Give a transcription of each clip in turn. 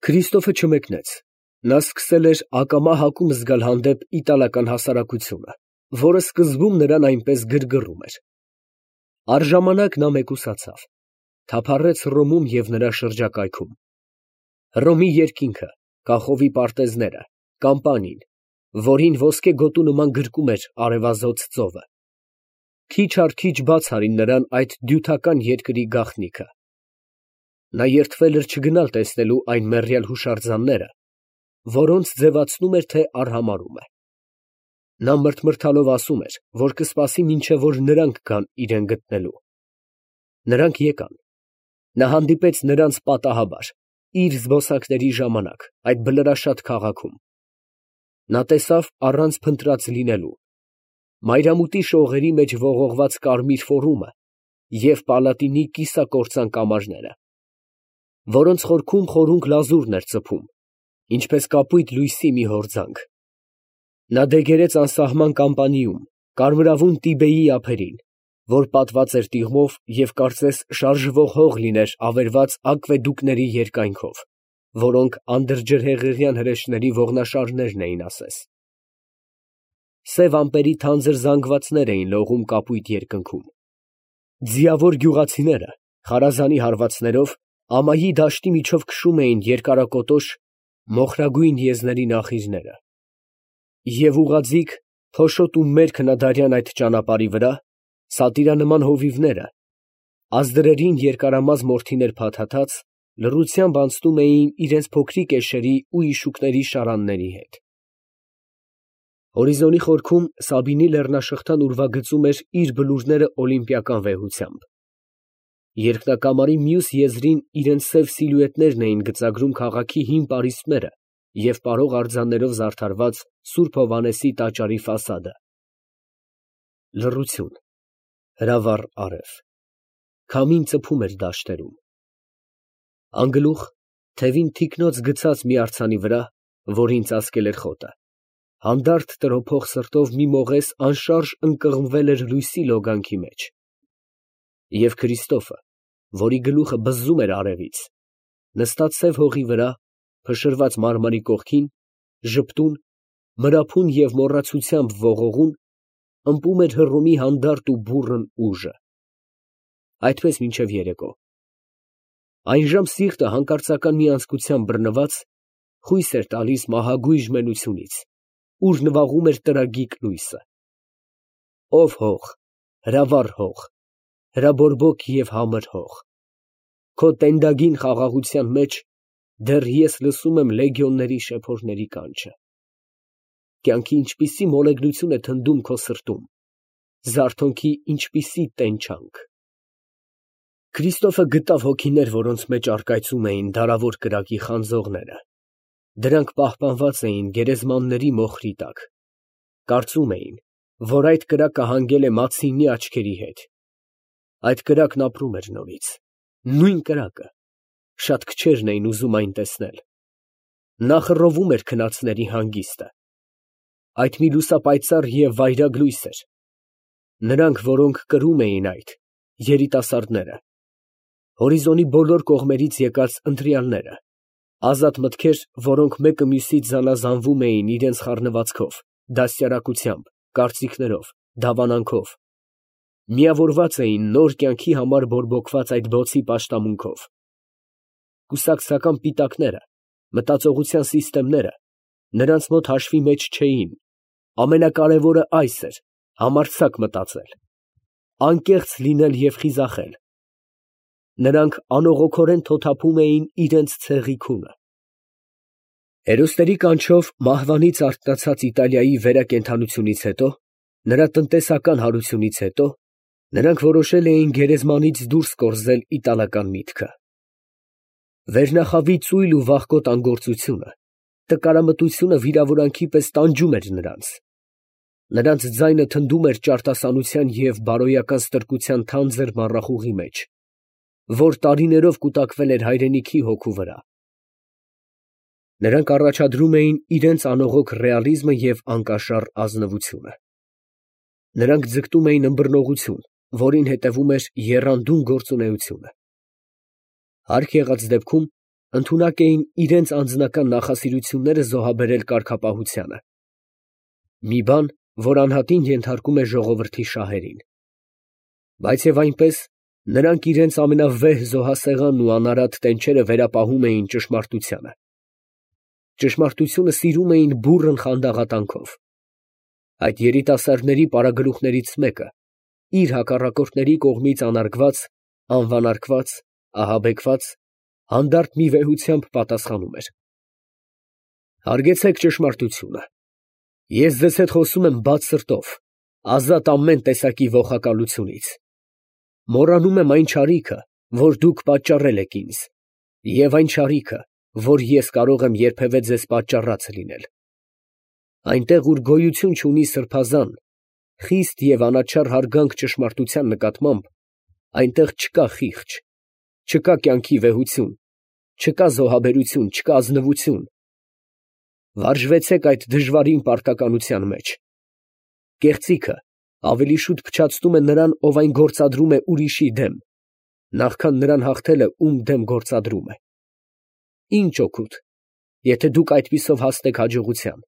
Քրիստոֆը չմեկնեց. նա սկսել էր ակամա հակում զգալ հանդեպ իտալական հասարակությունը, որը սկզբում նրան այնպես գրգռում էր։ Առժամանակ նա մեկուսացավ, թափառեց Հռոմում և նրա շրջակայքում։ Հռոմի երկինքը, կախովի պարտեզները, Կամպանին, որին ոսկե գոտու նման գրկում էր արևազոծ ծովը, քիչ առ քիչ բաց արին նրան այդ դյութական երկրի գաղտնիքը։ Նա երդվել էր չգնալ տեսնելու այն մեռյալ հուշարձանները, որոնց ձևացնում էր, թե արհամարհում է։ Նա մրթմրթալով ասում էր, որ կսպասի, մինչև որ նրանք գան իրան գտնելու։ Նրանք եկան։ Նա հանդիպեց նրանց պատահաբար, իր զբոսանքների ժամանակ, այդ բլրաշատ քաղաքում։ Նա տեսավ առանց փնտրած լինելու մայրամուտի շողերի մեջ ողողված կարմիր ֆորումը և պալատինի կիսակործան կամարները, որոնց խորքում խորունկ լազուրն էր ծփում, ինչպես կապույտ լույսի մի հորձանք։ Նա դեգերեց անսահման Կամպանիում, կարմրավուն Տիբեի ափերին, որ պատված էր տիղմով և կարծես շարժվող հող լիներ ավերված ակվեդուկների երկայնքով, որոնք անդրջրհեղեղյան հրեշների ողնաշարներն էին ասես։ Սև ամպերի թանձր զանգվածներ էին լողում կապույտ երկնքում։ Ձիավոր գյուղացիները խարազանի հարվածներով ամայի դաշտի միջով քշում էին երկարակոտոշ մոխրագույն եզների նախիժները։ Եվ ուղղաձիգ, փոշոտ ու մերկ հնադարյան այդ ճանապարհի վրա սատիրանման հովիվները, ազդրերին երկարամած մորթիներ փաթաթած, լռությամբ անցնում էին իրենց փոքրիկ էշերի ու իշուկների շարանների հետ։ Հորիզոնի խորքում Սաբինի լեռնաշղթան ուրվագծում էր իր բլուրները օլիմպիական վեհությամբ։ Երկնակամարի մյուս եզրին իրենց սև սիլուետներն էին գծագրում քաղաքի հին պարիսպները և պարող արձաններով զարդարված Սուրբ Հովհաննեսի տաճարի ֆասադը։ Լռություն, հրավառ արև, քամին ծփում էր դաշտերում։ Անգլուխ, թևին թիկնոց գցած մի արձանի վրա, որին ծածկել էր խոտը, հանդարտ տրոփող սրտով մի մողես անշարժ ընկղմվել էր լույսի լոգանքի մեջ։ Եվ Քրիստոֆը, որի գլուխը բզզում էր արևից, նստած սև հողի վրա, փշրված մարմարի կողքին, ժպտուն, մրափուն և մոռացությամբ ողողուն, ըմպում էր Հռոմի հանդարտ ու բուռն ուժը։ Այդպես մինչև երեկո։ Այնժամ սիրտը հանկարծական մի անձկությամբ բռնված, խույս էր տալիս մահագույժ մենությունից, ուր նվաղում էր տրագիկ լույսը։ Ո՛վ հող, հրավառ հող, հրաբորբոք և համր հող, քո տենդագին խաղաղության մեջ դեռ ես լսում եմ լեգիոնների շեփորների կանչը։ Կյանքի ինչպիսի մոլեգնություն է թնդում քո սրտում, զարթոնքի ինչպիսի տենչանք։ Քրիստոֆը գտավ հոգիներ, որոնց մեջ առկայծում էին դարավոր կրակի խանձողները։ Դրանք պահպանված էին գերեզմանների մոխրի տակ։ Կարծում էին, որ այդ կրակը հանգել է Մացինի աչքերի հետ։ Այդ կրակն ապրում էր նորից, նույն կրակը, շատ քչերն էին ուզում այն տեսնել։ Նա խռովում էր քնածների հանգիստը։ Այդ մի լուսապայծառ և վայրագ լույս էր։ Նրանք, որոնք կրում էին այդ, երիտասարդները, հորիզոնի բոլոր կողմերից եկած ընտրյալները, ազատ մտքեր, որոնք մեկը մյուսից զանազանվում էին իրենց խառնվածքով, դաստիարակությամբ, կարծիքներով, դավանանքով, միավորված էին նոր կյանքի համար բորբոքված այդ բոցի պաշտամունքով։ Կուսակցական պիտակները, մտածողության սիստեմները նրանց մոտ հաշվի մեջ չէին։ Ամենակարևորը այս էր՝ համարձակ մտածել, անկեղծ լինել և խիզախել։ Նրանք անողոքորեն թոթափում էին իրենց ցեղի քունը։ Հերոսների կանչով մահվանից արթնացած Իտալիայի վերակենդանությունից հետո, նրա տնտեսական հարությունից հետո, նրանք որոշել էին գերեզմանից դուրս կորզել իտալական միտքը։ Վերնախավի ծույլ ու վախկոտ անգործությունը, տկարամտությունը վիրավորանքի պես տանջում էր նրանց։ Նրանց ձայնը թնդում էր ճարտասանության և բարոյական ստրկության թանձր մառախուղի մեջ, որ տարիներով կուտակվել էր հայրենիքի հոգու վրա։ Նրանք առաջադրում էին իրենց անողոք ռեալիզմը և անկաշառ ազնվությունը։ Նրանք ձգտում էին ըմբռնողություն, որին հետևում էր եռանդուն գործունեությունը։ Հարկ եղած դեպքում ընդունակ էին իրենց անձնական նախասիրությունները զոհաբերել կարգապահությանը։ Մի բան, որ անհատին ենթարկում է ժողովրդի շահերին։ Բայց եւ այնպես նրանք իրենց ամենավեհ զոհասեղանն ու անարատ տենչերը վերապահում էին ճշմարտությանը։ Ճշմարտությունը սիրում էին բուռն խանդաղատանքով։ Այդ երիտասարդների պարագլուխներից մեկը իր հակառակորդների կողմից անարգված, անվանարկված, ահաբեկված, հանդարտ մի վեհությամբ պատասխանում էր. Հարգեցեք ճշմարտությունը։ Ես ձեզ հետ խոսում եմ բաց սրտով, ազատ ամեն տեսակի ողակալությունից։ Մոռանում եմ այն չարիքը, որ դուք պատճառել եք ինձ, և այն չարիքը, որ ես կարող եմ երբևէ ձեզ պատճառած լինել։ Այնտեղ, ուր գոյություն չունի սրբազան, խիստ և անաչառ հարգանք ճշմարտության նկատմամբ, այնտեղ չկա խիղճ, չկա կյանքի վեհություն, չկա զոհաբերություն, չկա ազնվություն։ Վարժվեցեք այդ դժվարին պարտականության մեջ։ Կեղծիքը ավելի շուտ փչացնում է նրան, ով այն գործադրում է ուրիշի դեմ, նախքան նրան հաղթելը, ում դեմ գործադրում է։ Ինչ օգուտ, եթե դուք այդպիսով հասնեք հաջողության։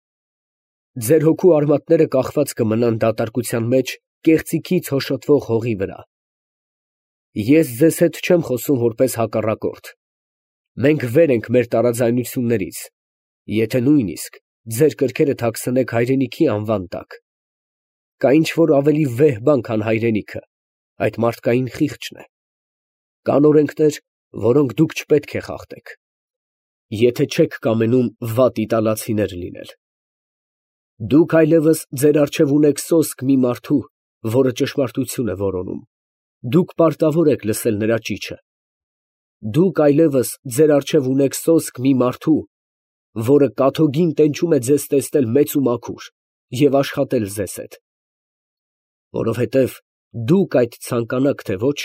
Ձեր հոգու արմատները կախված կմնան դատարկության մեջ կեղծիքից հոշոտվող հողի վրա։ Ես ձեզ հետ չեմ խոսում որպես հակառակորդ։ Մենք վեր ենք մեր տարաձայնություններից, եթե նույնիսկ ձեր կրքերը թաքցնեք հայրենիքի անվան տակ։ Կա ինչ-որ ավելի վեհ բան, քան հայրենիքը, այդ մարդկային խիղճն է։ Կան օրենքներ, որոնք դուք չպետք է խախտեք, եթե չեք կամենում վատ իտալացիներ լինել։ Դուք այլևս ձեր առջև ունեք սոսկ մի մարդու, որը ճշմարտություն է որոնում։ Դուք պարտավոր եք լսել նրա ճիչը։ Դուք այլևս ձեր առջև ունեք սոսկ մի մարդու, որը կաթոգին տենչում է ձեզ տեսնել մեծ ու մաքուր և աշխատել ձեզ հետ։ Որովհետև դուք այդ ցանկանաք, թե ոչ,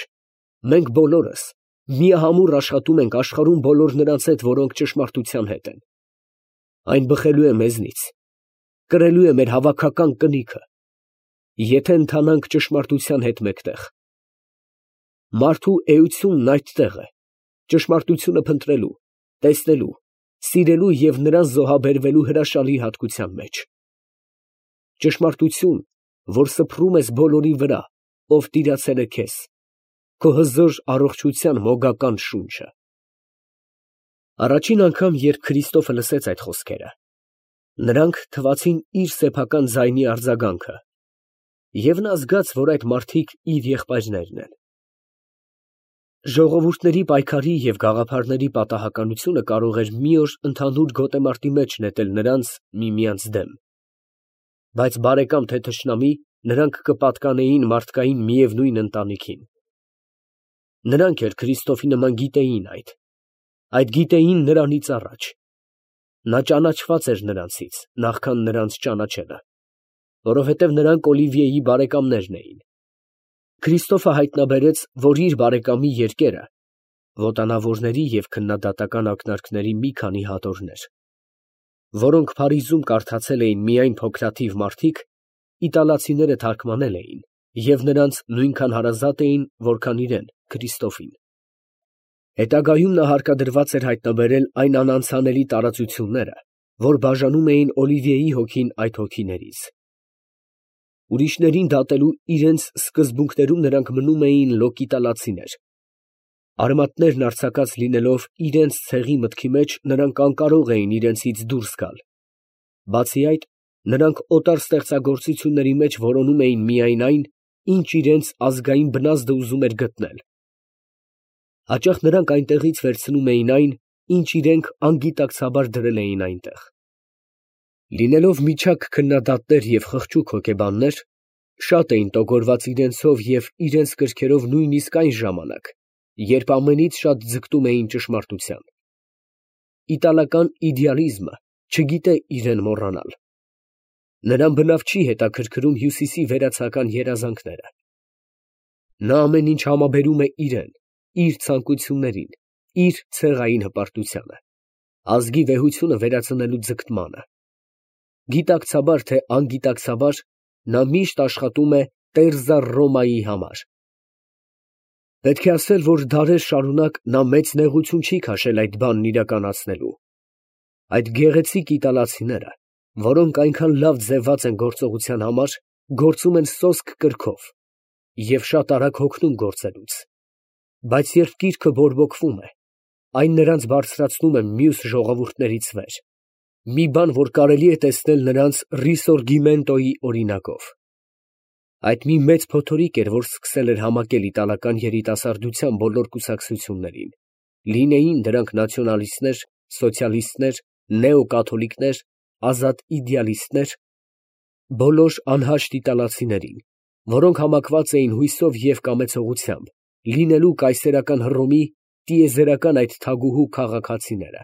մենք բոլորս միահամուռ աշխատում ենք աշխարհում բոլոր նրանց հետ, որոնք ճշմարտության հետ են։ Այն բխելու է մեզնից, կրելու է մեր հավաքական կնիքը, եթե ընթանանք ճշմարտության հետ մեկտեղ։ Մարդու էությունն այդտեղ է, ճշմարտությունը փնտրելու, տեսնելու, սիրելու և նրան զոհաբերվելու հրաշալի հատկության մեջ։ Ճշմարտություն, որ սփռում ես բոլորի վրա, ով տիրացել է քեզ, քո հզոր առողջության մոգական շունչը։ Առաջին անգամ, երբ Քրիստոֆը լսեց այդ խոսքերը, նրանք թվացին իր սեփական ձայնի արձագանքը, և նա զգաց, որ այդ մարդիկ իր եղբայրներն են։ Ժողովուրդների պայքարի և գաղափարների պատահականությունը կարող էր մի օր ընդհանուր գոտեմարտի մեջ նետել նրանց միմյանց դեմ, բայց բարեկամ թե թշնամի, նրանք կպատկանեին մարդկային միևնույն ընտանիքին։ Նրանք էլ Քրիստոֆի նման գիտեին այդ գիտեին նրանից առաջ։ Նա ճանաչված էր նրանցից, նախքան նրանց ճանաչելը, որովհետև նրանք Օլիվիեի բարեկամներն էին։ Քրիստոֆը հայտնաբերեց, որ իր բարեկամի երկերը ոտանավորների և քննադատական ակնարկների մի քանի հատորներ, որոնք Փարիզում կարդացել էին միայն փոքրաթիվ մարդիկ, իտալացիները թարգմանել էին և նրանց նույնքան հարազատ էին, որքան իրեն, Քրիստոֆին։ Հետագայում նա հարկադրված էր հայտնաբերել այն անանցանելի տարածությունները, որ բաժանում էին Օլիվիեի հոգին այդ հոգիներից։ Ուրիշներին դատելու իրենց սկզբունքներում նրանք մնում էին լոկ-իտալացիներ։ Արմատներն արձակած լինելով իրենց ցեղի մտքի մեջ, նրանք անկարող էին իրենցից դուրս գալ։ Բացի այդ, նրանք օտար ստեղծագործությունների մեջ որոնում էին միայն այն, ինչ իրենց ազգային բնազդը ուզում էր գտնել։ Հաճախ նրանք այնտեղից վերցնում էին այն, ինչ իրենք անգիտակցաբար դրել էին այնտեղ։ Լինելով միջակ քննադատներ և խղճուկ հոգեբաններ, շատ էին տոգորված իրենցով և իրենց կրքերով նույնիսկ այն ժամանակ, երբ ամենից շատ ձգտում էին ճշմարտության։ Իտալական իդեալիզմը չգիտե իրեն մոռանալ։ Նրան բնավ չի հետաքրքրում հյուսիսի վերացական երազանքները։ Նա ամեն ինչ համաբերում է իրեն, իր ցանկություններին, իր ցեղային հպարտությանը, ազգի վեհությունը վերածնելու ձգտմանը։ Գիտակցաբար թե անգիտակցաբար, նա միշտ աշխատում է տերզա Ռոմայի համար։ Պետք է ասել, որ դարեր շարունակ նա մեծ նեղություն չի քաշել այդ բանն իրականացնելու։ Այդ գեղեցիկ իտալացիները, որոնք այնքան լավ ձևված են գործողության համար, գործում են սոսկ կրքով և շատ արագ հոգնում գործելուց, բայց երբ գիրքը բորբոքվում է, այն նրանց բարձրացնում է մյուս ժողովուրդներից վեր, մի բան, որ կարելի է տեսնել նրանց Ռիսորգիմենտոյի օրինակով։ Այդ մի մեծ փոթորիկ էր, որ սկսել էր համակել իտալական երիտասարդության բոլոր կուսակցություններին, լինեին դրանք նացիոնալիստներ, սոցիալիստներ, նեոկաթոլիկներ, ազատ իդեալիստներ, բոլոր անհաշտ իտալացիներին, որոնք համակված էին հույսով և կամեցողությամբ, լինելու կայսերական Հռոմի տիեզերական այդ թագուհու քաղաքացիները։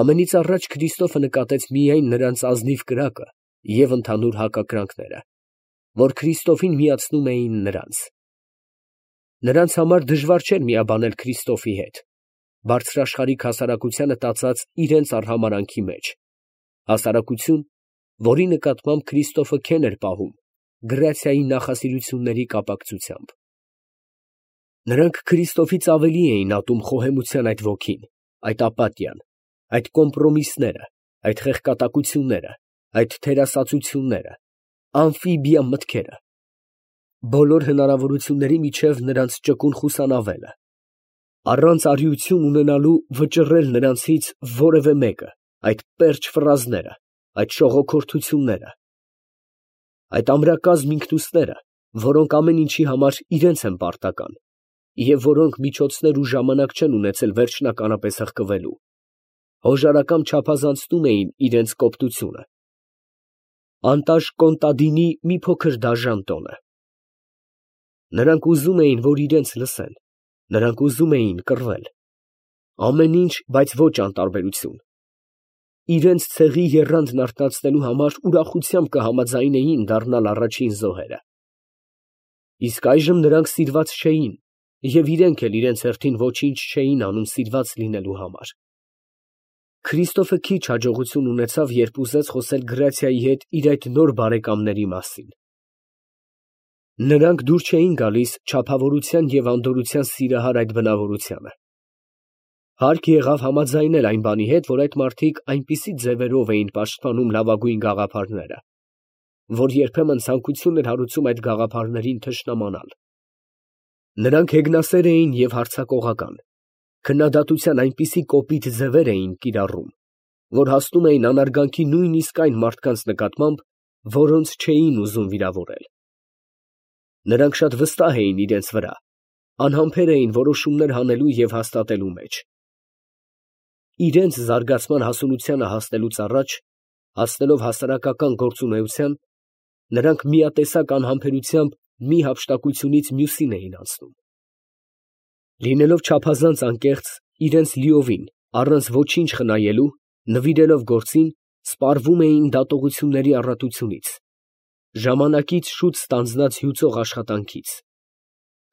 Ամենից առաջ Քրիստոֆը նկատեց միայն նրանց ազնիվ կրակը և ընդհանուր հակակրանքները, որ Քրիստոֆին միացնում էին նրանց։ Նրանց համար դժվար չէր միաբանել Քրիստոֆի հետ, բարձրաշխարհիկ հասարակությանը տածած իրենց արհամարանքի մեջ, հասարակություն, որի նկատմամբ Քրիստոֆը քեն էր պահում գրացիայի նախասիրությունների կապակցությամբ։ Նրանք Քրիստոֆից ավելի էին ատում խոհեմության այդ ոգին, այդ ապաթիան, այդ կոմպրոմիսները, այդ խեղկատակությունները, այդ թերասացությունները, ամֆիբիա մտքերը, բոլոր հնարավորությունների միջև նրանց ճկուն խուսանավելը, առանց արիություն ունենալու վճռել նրանցից որևէ մեկը, այդ պերճ ֆրազները, այդ շողոքորթությունները, այդ ամրակազմ ինքնուստները, որոնք ամեն ինչի համար իրենց են պարտական, և որոնք միջոցներ ու ժամանակ չեն ունեցել վերջնականապես հղկվելու, հոժարակամ չափազանցնում էին իրենց կոպտությունը, անտաժ կոնտադինի մի փոքր դաժան տոնը։ Նրանք ուզում էին, որ իրենց լսեն, նրանք ուզում էին կռվել, ամեն ինչ, բայց ոչ անտարբերություն, իրենց ցեղի եռանդն արթնացնելու համար ուրախությամբ կհամաձայնեին դառնալ առաջին զոհերը։ Իսկ այժմ նրանք սիրված չէին և իրենք էլ իրենց հերթին ոչինչ չէին անում սիրված լինելու համար։ Քրիստոֆը քիչ հաջողություն ունեցավ, երբ ուզեց խոսել Գրացիայի հետ իր այդ նոր բարեկամների մասին։ Նրանք դուր չէին գալիս չափավորության և անդորրության սիրահար այդ բնավորությանը։ Հարկ եղավ համաձայնել այն բանի հետ, որ այդ մարդիկ այնպիսի ձևերով էին պաշտպանում լավագույն գաղափարները, որ երբեմն ցանկություն էր հարուցում այդ գաղափարներին թշնամանալ։ Նրանք հեգնասեր էին և հարձակողական, քննադատության այնպիսի կոպիտ ձևեր էին կիրառում, որ հասնում էին անարգանքի նույնիսկ այն մարդկանց նկատմամբ, որոնց չէին ուզում վիրավորել։ Նրանք շատ վստահ էին իրենց վրա, անհամբեր էին որոշումներ հանելու և հաստատելու մեջ։ Իրենց զարգացման հասունությանը հասնելուց առաջ, հասնելով հասարակական գործունեության, նրանք միատեսակ անհամբերությամբ մի հափշտակությունից մյուսին էին անցնում։ Լինելով չափազանց անկեղծ, իրենց լիովին, առանց ոչինչ խնայելու, նվիրելով գործին, սպառվում էին դատողությունների առատությունից, ժամանակից շուտ ստանձնած հյուծող աշխատանքից։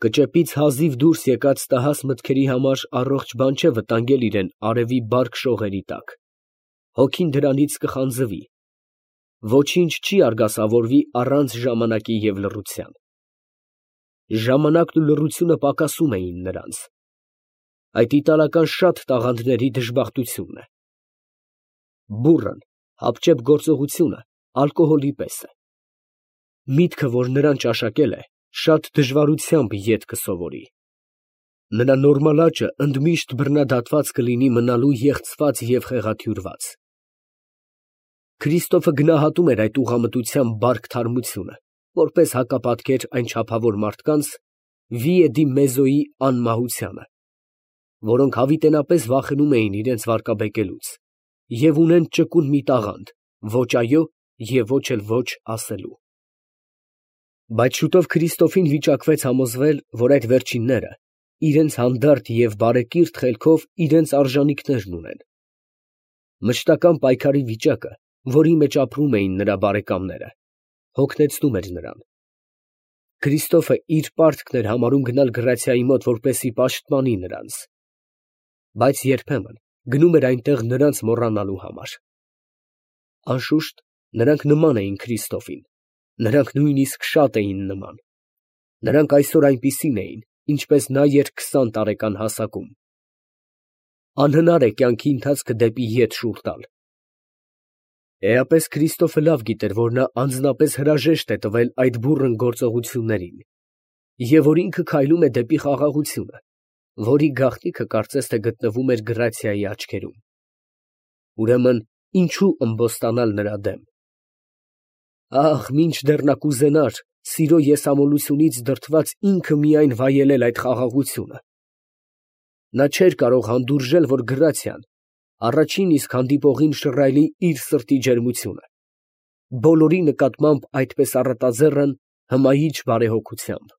Կճեպից հազիվ դուրս եկած տհաս մտքերի համար առողջ բան չէ վտանգել իրեն արևի բարք շողերի տակ, հոգին դրանից կխանձվի, ոչինչ չի արգասավորվի առանց ժամանակի և լռության։ Ժամանակն ու լռությունը պակասում էին նրանց։ Այդ իտալական շատ տաղանդների դժբախտությունն է։ Բուռն, հապճեպ գործողությունը ալկոհոլի պես է։ Միտքը, որ նրան ճաշակել է, շատ դժվարությամբ ետ կսովորի։ Նրա նորմալ աճը ընդմիշտ բռնադատված կլինի մնալու եղցված և խեղաթյուրված։ Քրիստոֆը գնահատում էր այդ ուղղամտության բարք թարմությունը, որպես հակապատկեր այն չափավոր մարդկանց վիե դի մեզոյի անմահությանը, որոնք հավիտենապես վախենում էին իրենց վարկաբեկելուց և ունեն ճկուն մի տաղանդ՝ ոչ այո և ոչ էլ ոչ ասելու։ Բայց շուտով Քրիստոֆին վիճակվեց համոզվել, որ այդ վերջինները իրենց հանդարտ և բարեկիրթ խելքով իրենց արժանինքներն ունեն։ Մշտական պայքարի վիճակը, որի մեջ ապրում էին նրա բարեկամները, հոգնեցնում էր նրան։ Քրիստոֆը իր պարտքն էր համարում գնալ Գրացիայի մոտ, որպեսզի պաշտպանի նրանց, բայց երբեմն գնում էր այնտեղ նրանց մոռանալու համար։ Անշուշտ, նրանք նման էին Քրիստոֆին, նրանք նույնիսկ շատ էին նման։ Նրանք այսօր այնպիսին էին, ինչպես նա էր 20 տարեկան հասակում։ Անհնար է կյանքի ընթացքը դեպի ետ շուռ տալ։ Էապես Քրիստոֆը լավ գիտեր, որ նա անձնապես հրաժեշտ է տվել այդ բուռն գործողություններին, և որ ինքը քայլում է դեպի խաղաղությունը, որի գաղտնիքը կարծես թե գտնվում էր գրացիայի աչքերում։ Ուրեմն ինչու ըմբոստանալ նրա դեմ։ Ահ, մինչդեռ նա կուզենար սիրո եսամոլությունից դրդված ինքը միայն վայելել այդ խաղաղությունը։ Նա չէր կարող հանդուրժել, որ գրացիան առաջին իսկ հանդիպողին շռայլի իր սրտի ջերմությունը, բոլորի նկատմամբ այդպես առատաձեռն հմայիչ բարեհոգությամբ։